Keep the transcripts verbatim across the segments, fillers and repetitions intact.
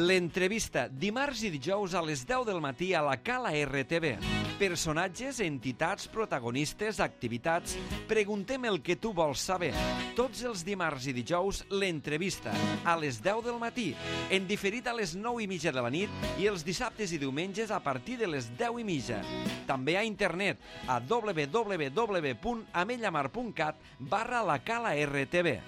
L'entrevista, dimarts i dijous a les deu del matí a la Cala R T V. Personatges, entitats, protagonistes, activitats... Preguntem el que tu vols saber. Tots els dimarts i dijous, l'entrevista, a les deu del matí, en diferit a les nou i mitja de la nit i els dissabtes i diumenges a partir de les deu i mitja. També a internet, a w w w punt amellamar punt cat barra la Cala R T V.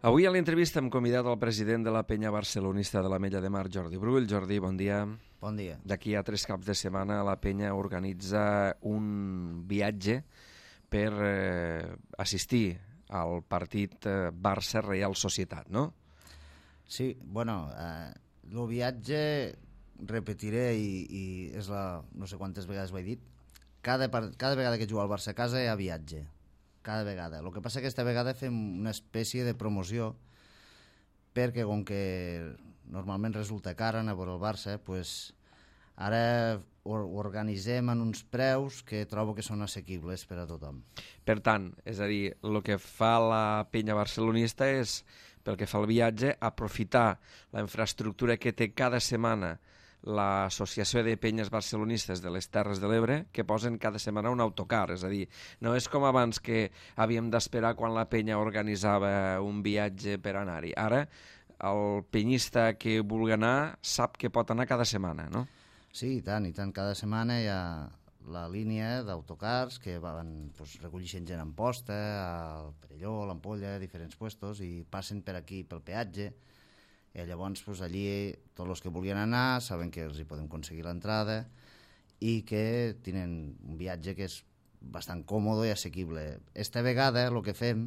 Avui a l'entrevista hem convidat el president de la penya barcelonista de l'Ametlla de Mar, Jordi Brull. Jordi, bon dia. Bon dia. D'aquí a tres caps de setmana la penya organitza un viatge per eh, assistir al partit eh, Barça-Reial Societat, no? Sí, bueno, eh, el viatge, repetiré i, i és la, no sé quantes vegades ho he dit, cada, cada vegada que juga al Barça a casa hi ha viatge. Cada vegada. El que passa que aquesta vegada fem una espècie de promoció perquè com que normalment resulta cara anar a veure el Barça, pues ara ho organitzem en uns preus que trobo que són assequibles per a tothom. Per tant, és a dir, el que fa la penya barcelonista és, pel que fa al viatge, aprofitar la infraestructura que té cada setmana l'Associació de Penyes Barcelonistes de les Terres de l'Ebre, que posen cada setmana un autocar. És a dir, no és com abans que havíem d'esperar quan la penya organitzava un viatge per anar-hi. Ara, el penyista que vulgui anar sap que pot anar cada setmana, no? Sí, i tant, i tant. Cada setmana hi ha la línia d'autocars que van pues, recollint gent en posta, al Perelló, a l'Ampolla, a diferents puestos, i passen per aquí, pel peatge. I llavors pues, allí tots els que volien anar saben que els hi podem aconseguir l'entrada i que tenen un viatge que és bastant còmode i assequible. Esta vegada el que fem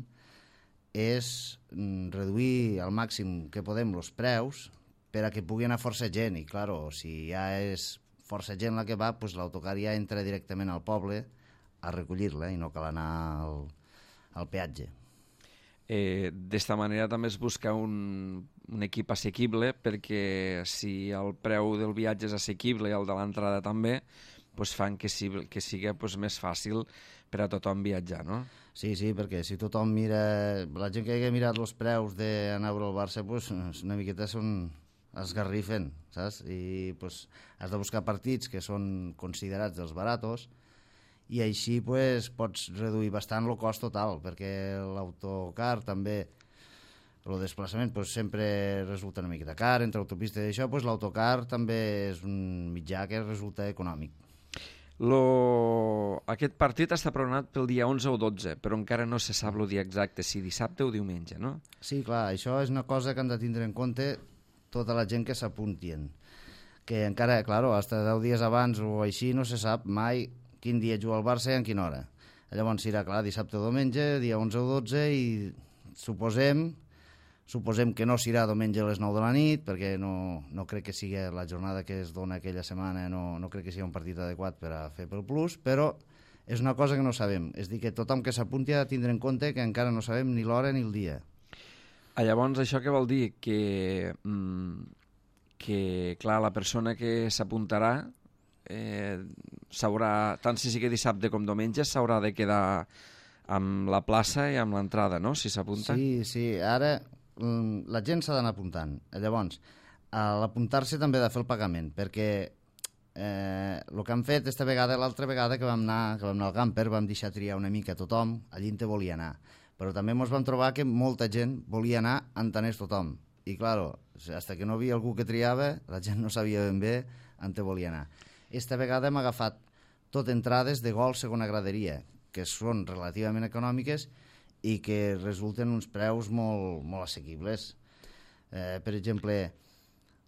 és reduir al màxim que podem els preus per a que pugui anar força gent i clar, si ja és força gent la que va, pues, l'autocar ja entra directament al poble a recollir-la i no cal anar al, al peatge. Eh, d'esta manera també es busca un, un equip assequible perquè si el preu del viatge és assequible i el de l'entrada també, pues fan que, si, que sigui pues, més fàcil per a tothom viatjar, no? Sí, sí, perquè si tothom mira... La gent que hagi mirat els preus d'anar a veure el Barça, pues, una miqueta són esgarrifen, saps? I pues, has de buscar partits que són considerats dels baratos i així pues, pots reduir bastant el cost total, perquè l'autocar també, el desplaçament pues, sempre resulta una miqueta car, entre autopistes i això, pues, l'autocar també és un mitjà que resulta econòmic. Lo... Aquest partit està programat pel dia onze o dotze, però encara no se sap el dia exacte, si dissabte o diumenge, no? Sí, clar, això és una cosa que han de tindre en compte tota la gent que s'apuntien, que encara, clar, fins deu dies abans o així no se sap mai quin dia juga el Barça i en quina hora. Llavors serà, clar, dissabte o diumenge, dia onze o dotze, i suposem, suposem que no serà diumenge a les nou de la nit, perquè no, no crec que sigui la jornada que es dona aquella setmana, no, no crec que sigui un partit adequat per a fer pel plus, però és una cosa que no sabem. És dir, que tothom que s'apunti ha de tindre en compte que encara no sabem ni l'hora ni el dia. Ah, llavors, això què vol dir? Que, mm, que clar, la persona que s'apuntarà Eh, s'haurà, tant si sigui dissabte com diumenge, s'haurà de quedar amb la plaça i amb l'entrada, no?, si s'apunta. Sí, sí, ara la gent s'ha d'anar apuntant. Llavors, a l'apuntar-se també ha de fer el pagament, perquè eh, el que han fet aquesta vegada, l'altra vegada que vam anar, que vam anar al camper, vam deixar triar una mica a tothom, allí en te volia anar. Però també ens vam trobar que molta gent volia anar entenent tothom. I, clar, fins que no hi havia algú que triava, la gent no sabia ben bé on te volia anar. Esta vegada hem agafat tot entrades de gol segona graderia, que són relativament econòmiques i que resulten uns preus molt, molt assequibles. Eh, per exemple,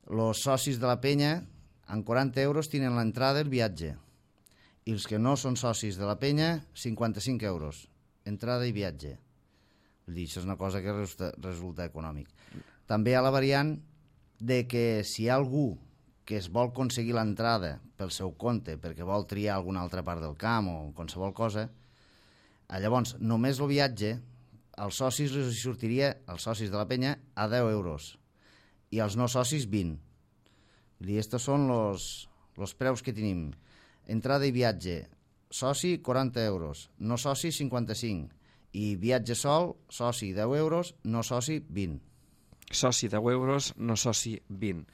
els socis de la penya, amb quaranta euros tenen l'entrada i el viatge. I els que no són socis de la penya, cinquanta-cinc euros, entrada i viatge. Vull dir, això és una cosa que resulta, resulta econòmic. També hi ha la variant de que si hi ha algú que es vol aconseguir l'entrada pel seu compte perquè vol triar alguna altra part del camp o qualsevol cosa, llavors només el viatge als socis els sortiria, als socis de la penya, a deu euros i als no socis vint. Vull dir, estos són els preus que tenim. Entrada i viatge, soci quaranta euros, no soci cinquanta-cinc I viatge sol, soci deu euros, no soci vint. Soci deu euros, no soci vint.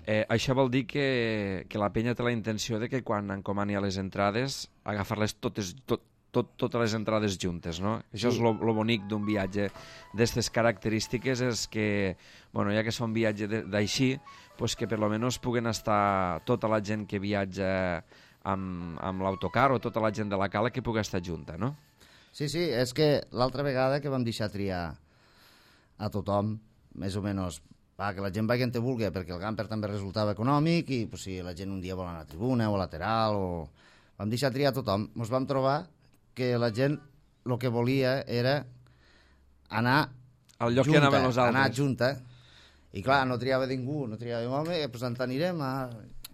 Eh, això vol dir que, que la penya té la intenció de que quan encomani a les entrades agafar-les totes, tot, tot, totes les entrades juntes, no? Això sí. És lo, lo bonic d'un viatge d'aquestes característiques, és que, bueno, ja que és un viatge d'així, pues que per lo menos puguen estar tota la gent que viatja amb, amb l'autocar o tota la gent de la cala que pugui estar junta, no? Sí, sí, és que l'altra vegada que vam deixar triar a tothom, més o menys, va, que la gent vagi on te vulgui, perquè el camper també resultava econòmic i pues, si la gent un dia vol anar a tribuna o a lateral, o... vam deixar triar a tothom. Ens vam trobar que la gent el que volia era anar al lloc junta, que anaven els altres. Anar junta. I clar, no triava ningú, no triava home, doncs ens anirem a...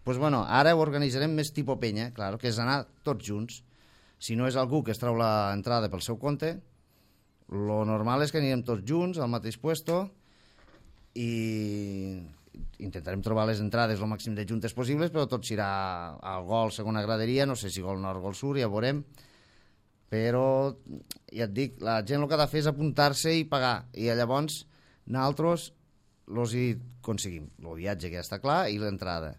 Pues bueno, ara ho organitzarem més tipus penya, clar, que és anar tots junts. Si no és algú que es trau l'entrada pel seu compte, lo normal és que anirem tots junts al mateix puesto i intentarem trobar les entrades el màxim de juntes possibles, però tot serà al gol, segona graderia, no sé si gol nord, gol sud, ja veurem. Però, ja et dic, la gent el que ha de fer és apuntar-se i pagar. I llavors, nosaltres els hi aconseguim. El viatge que ja està clar i l'entrada.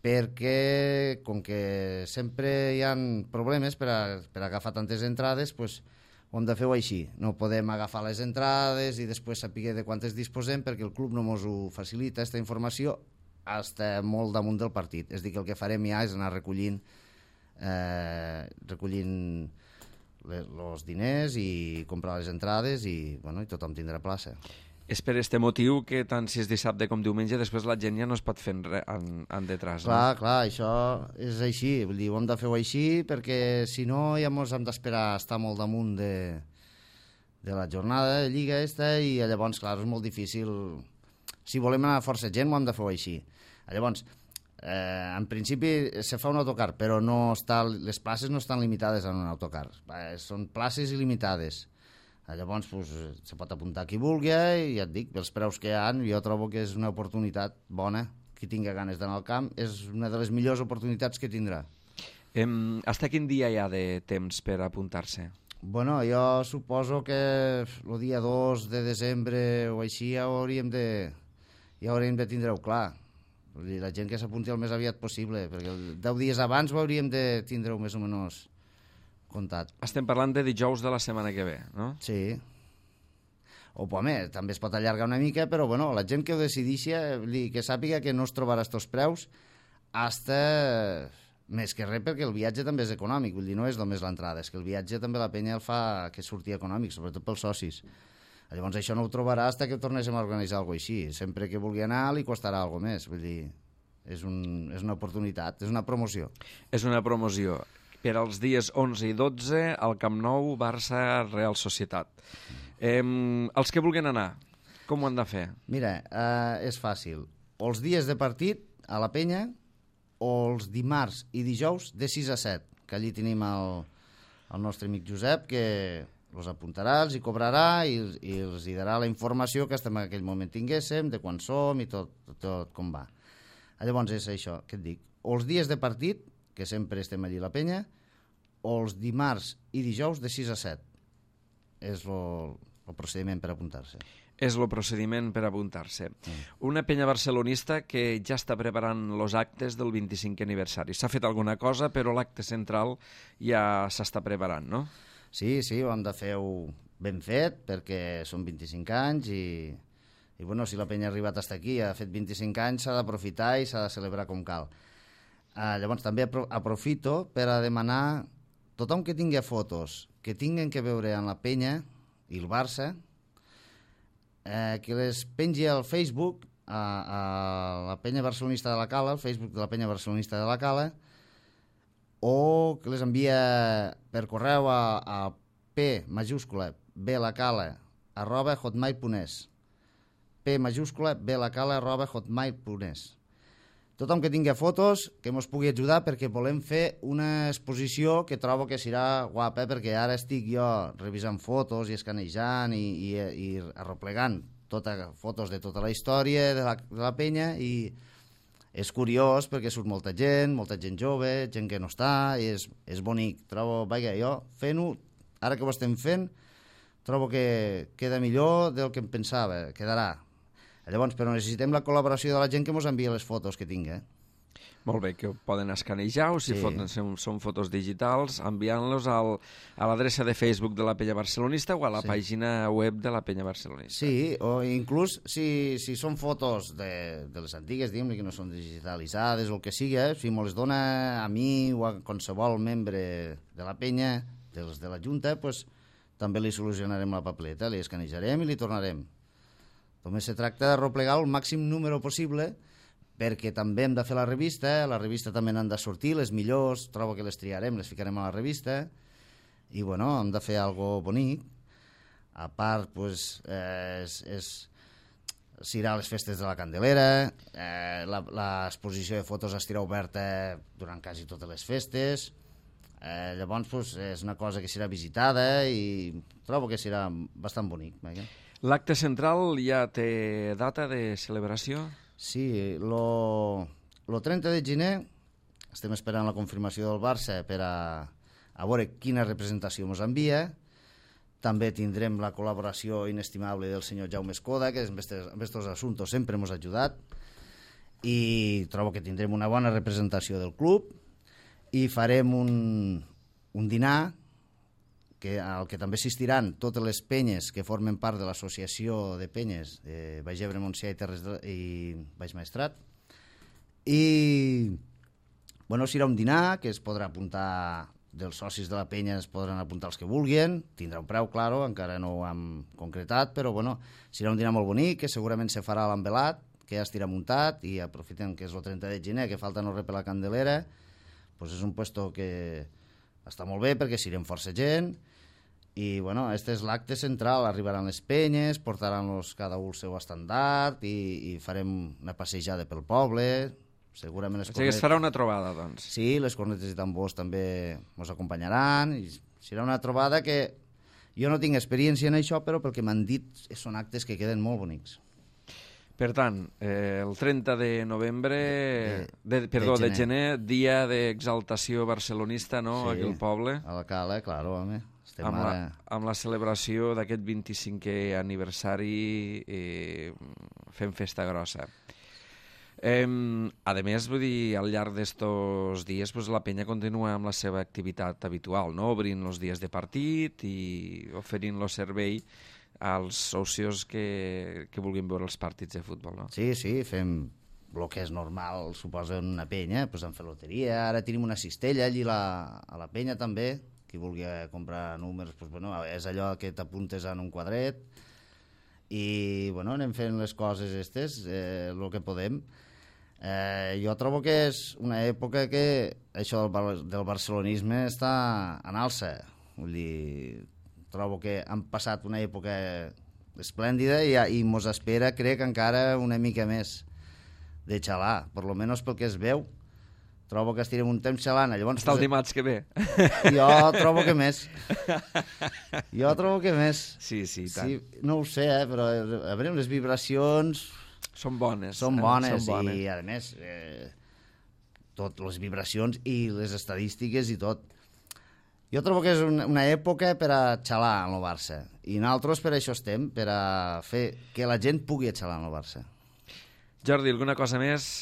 Perquè, com que sempre hi ha problemes per a, per a agafar tantes entrades, doncs, ho hem de fer-ho així. No podem agafar les entrades i després saber de quantes disposem perquè el club no ens ho facilita, aquesta informació, està molt damunt del partit. És a dir, que el que farem ja és anar recollint eh, recollint els diners i comprar les entrades i, bueno, i tothom tindrà plaça. És per este motiu que tant si és dissabte com diumenge després la gent ja no es pot fer en, en, en detrás. Clar, no? clar, això és així. Vull dir, ho hem de fer-ho així perquè si no ja ens hem d'esperar estar molt damunt de, de la jornada de Lliga esta i llavors, clar, és molt difícil. Si volem anar a força gent ho hem de fer-ho així. Llavors, eh, en principi se fa un autocar, però no està, les places no estan limitades en un autocar. Eh, són places il·limitades. Llavors pues, se pot apuntar qui vulgui i ja et dic, els preus que hi ha, jo trobo que és una oportunitat bona. Qui tinga ganes d'anar al camp és una de les millors oportunitats que tindrà. Em, hasta quin dia hi ha de temps per apuntar-se? Bueno, jo suposo que el dia dos de desembre o així ja hauríem de, ja hauríem de tindre-ho clar. La gent que s'apunti el més aviat possible, perquè deu dies abans ho hauríem de tindre-ho més o menys comptat. Estem parlant de dijous de la setmana que ve, no? Sí. O, home, també es pot allargar una mica, però, bueno, la gent que ho decidixi, que sàpiga que no es trobarà estos preus hasta més que res perquè el viatge també és econòmic, vull dir, no és només l'entrada, és que el viatge també la penya el fa que surti econòmic, sobretot pels socis. Llavors això no ho trobarà hasta que tornéssim a organitzar alguna cosa així. Sempre que vulgui anar li costarà alguna més, vull dir, és, un, és una oportunitat, és una promoció. És una promoció. Per als dies onze i dotze, al Camp Nou, Barça, Real Societat. Eh, els que vulguin anar, com ho han de fer? Mira, eh, és fàcil. O els dies de partit a la penya, o els dimarts i dijous de sis a set, que allí tenim el, el nostre amic Josep, que els apuntarà, els hi cobrarà i, i els hi darà la informació que en aquell moment tinguéssim, de quan som i tot, tot com va. Llavors és això que et dic. O els dies de partit, que sempre estem allí a la penya, o els dimarts i dijous de sis a set. És el procediment per apuntar-se. És el procediment per apuntar-se. Mm. Una penya barcelonista que ja està preparant els actes del vint-i-cinquè aniversari. S'ha fet alguna cosa, però l'acte central ja s'està preparant, no? Sí, sí, ho hem de fer-ho ben fet, perquè són vint-i-cinc anys i, i bueno, si la penya ha arribat fins aquí, ha fet vint-i-cinc anys, s'ha d'aprofitar i s'ha de celebrar com cal. Uh, llavors també aprofito per a demanar tothom que tingui fotos que tinguen que veure amb la penya i el Barça, eh, que les pengi al Facebook a, a la penya barcelonista de la Cala, al Facebook de la penya barcelonista de la Cala, o que les envia per correu a, a p majúscula blacala arroba hotmail punt es p majúscula blacala arroba hotmail punt es. Tothom que tingui fotos, que ens pugui ajudar perquè volem fer una exposició que trobo que serà guapa, perquè ara estic jo revisant fotos i escanejant i, i, i arreplegant tota, fotos de tota la història de la, de la penya i és curiós perquè surt molta gent, molta gent jove, gent que no està, i és, és bonic. Trobo, vaja, jo fent-ho, ara que ho estem fent, trobo que queda millor del que em pensava, quedarà. Llavors, però necessitem la col·laboració de la gent que ens envia les fotos que tingui. Molt bé, que ho poden escanejar o si sí. foten, són fotos digitals, enviant-los al, a l'adreça de Facebook de la Penya Barcelonista o a la sí. pàgina web de la Penya Barcelonista. Sí, o inclús si, si són fotos de, de les antigues, diguem-ne, que no són digitalitzades o el que sigui, eh, si me les dona a mi o a qualsevol membre de la Penya, dels de la Junta, pues, també li solucionarem la papeleta, li escanejarem i li tornarem. Només se tracta de replegar el màxim número possible perquè també hem de fer la revista, a la revista també n'han de sortir les millors, trobo que les triarem, les ficarem a la revista, i bueno, hem de fer algo bonic. A part, pues, eh, és, és, s'irà a les festes de la Candelera, eh, l'exposició de fotos estirà oberta durant quasi totes les festes, eh, llavors pues, és una cosa que serà visitada i trobo que serà bastant bonic. Eh? L'acte central ja té data de celebració? Sí, lo, lo trenta de gener estem esperant la confirmació del Barça per a, a veure quina representació ens envia. També tindrem la col·laboració inestimable del senyor Jaume Escoda, que en aquests assumptes sempre ens ha ajudat, i trobo que tindrem una bona representació del club i farem un, un dinar que, al que també assistiran totes les penyes que formen part de l'associació de penyes de Baix Ebre, Montsià i Terres de, i Baix Maestrat. I bueno, serà un dinar que es podrà apuntar, dels socis de la penya es podran apuntar els que vulguin, tindrà un preu, claro, encara no ho hem concretat, però bueno, serà un dinar molt bonic, que segurament se farà a l'Envelat, que ja estirà muntat, i aprofitem que és el trenta de gener, que falta no res per la Candelera, doncs és un puesto que està molt bé perquè serem força gent. I bueno, este és l'acte central, arribaran les penyes, portaran los, cada un el seu estandard i, i farem una passejada pel poble, segurament les cornetes... O sigui, es farà una trobada, doncs. Sí, les cornetes i tambors també ens acompanyaran, i serà una trobada que jo no tinc experiència en això, però pel que m'han dit són actes que queden molt bonics. Per tant, eh, el trenta de novembre, de, de, perdó, de gener, de gener dia d'exaltació barcelonista, no?, sí, aquí al poble. A la Cala, claro, home. Amb la, amb la celebració d'aquest vint-i-cinquè aniversari eh, fem festa grossa. Eh, a més, vull dir, al llarg d'estos dies pues, la penya continua amb la seva activitat habitual, no? Obrint els dies de partit i oferint el servei als socios que, que vulguin veure els partits de futbol, no? Sí, sí, fem el que és normal, suposa, en una penya, pues, en fer loteria, ara tenim una cistella allí la, a la penya també, qui vulgui comprar números, doncs, bueno, és allò que t'apuntes en un quadret i bueno, anem fent les coses estes, eh, el que podem. Eh, jo trobo que és una època que això del, del barcelonisme està en alça. Vull dir, trobo que han passat una època esplèndida i, i mos espera, crec, encara una mica més de xalar, per lo menys pel que es veu. Trobo que estirem un temps xalant. Llavors, està el dimarts que ve. Jo trobo que més. Jo trobo que més. Sí, sí, tant. Sí, no ho sé, eh, però a veure, les vibracions... Són bones. Són bones, eh? Són bones. I a més, eh, tot, les vibracions i les estadístiques i tot. Jo trobo que és una, una època per a xalar en el Barça. I nosaltres per això estem, per a fer que la gent pugui xalar en el Barça. Jordi, alguna cosa més?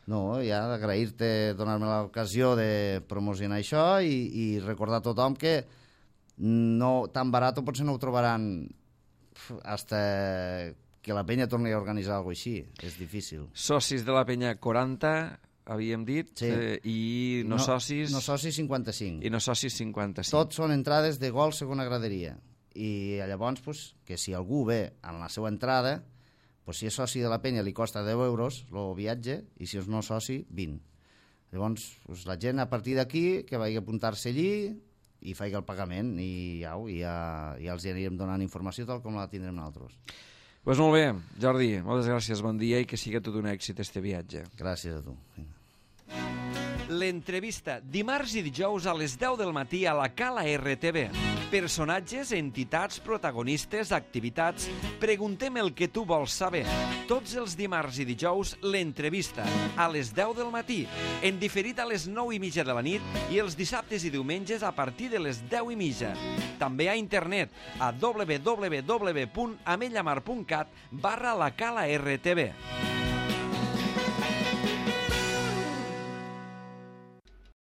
No, ja agrair-te, donar-me l'ocasió de promocionar això i, i recordar a tothom que no, tan barat potser no ho trobaran hasta que la penya torni a organitzar alguna cosa així. És difícil. Socis de la penya quaranta, havíem dit, sí. eh, i no, no socis... No socis cinquanta-cinc. I no socis cinquanta-cinc. Tots són entrades de gol segona graderia. I llavors, pues, que si algú ve en la seva entrada... Pues si és soci de la penya li costa deu euros el viatge i si és no soci, vint. Llavors, pues, la gent a partir d'aquí que vagi a apuntar-se allí i faci el pagament i, au, i ja, ja els anirem donant informació tal com la tindrem nosaltres. Doncs pues molt bé, Jordi, moltes gràcies, bon dia i que sigui tot un èxit este viatge. Gràcies a tu. L'entrevista, dimarts i dijous a les deu del matí a la Cala R T V. Personatges, entitats, protagonistes, activitats... Preguntem el que tu vols saber. Tots els dimarts i dijous, l'entrevista, a les deu del matí, en diferit a les nou i mitja de la nit i els dissabtes i diumenges a partir de les deu i mitja. També a internet, a w w w punt amellamar punt cat barra la Cala R T V.